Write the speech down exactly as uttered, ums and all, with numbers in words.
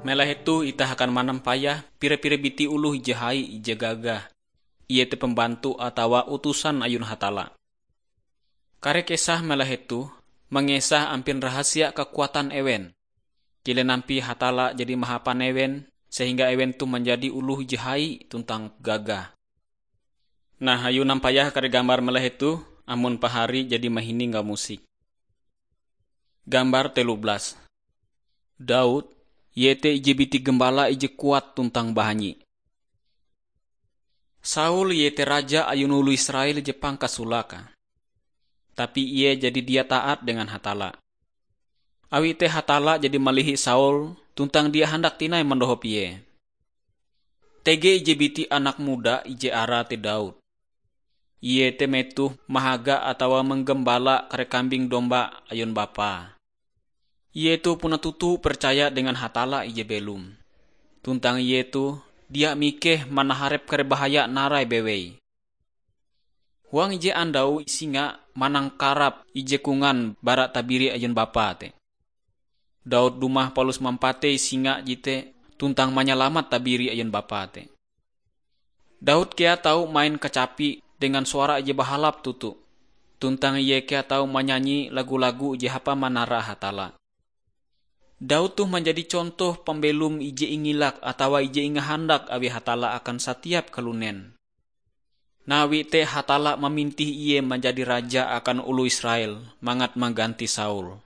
Melahe toh itah akan manampayah pire-pire biti oloh ije hai ije gagah, iete pembantu atawa utusan ayun Hatalla. Kare kesah melahe toh mangesah ampin rahasia kakuatan ewen. Kilen ampie Hatalla jadi mahapan ewen, sehingga ewen toh manjadi oloh ije hai tuntang gagah. Nah, ayu nampayah kare gambar melahe toh, amon pahari jadi mahining kamusik. Gambar telu belas. Daud, iete ije biti gembala ije kuat tuntang bahanyi. Saul iete raja ayun oloh Israel je pangkasolake. Tapi ie jadi dia taat dengan Hatalla. Awi te Hatalla jadi malihi Saul tuntang dia handak tinai mandohop ie. Tege ije biti anak muda ije arae te Daud. Ie te metoh mahaga atawa manggembala kare kambing domba ayun bapae. Ie toh puna toto percaya dengan Hatalla ije belom. Tuntang ie toh dia mikeh manaharep kare bahaya narai bewei. Huang ije andau singa manangkarap ije kongan bara tabiri ayun bapae te. Daud dumah palus mampatei singa jete tuntang manyalamat tabiri ayun bapae te. Daud kea tau main kacapi dengan suara ije bahalap toto, tuntang ie kea tau manyanyi lagu-lagu je hapa manara Hatalla. Daud toh manjadi contoh pambelom ije ingilak atawa ije ingahandak awi Hatalla akan satiap kalunen. Nawi te Hatalla mamintih ie manjadi raja akan oloh Israel mangat mangganti Saul.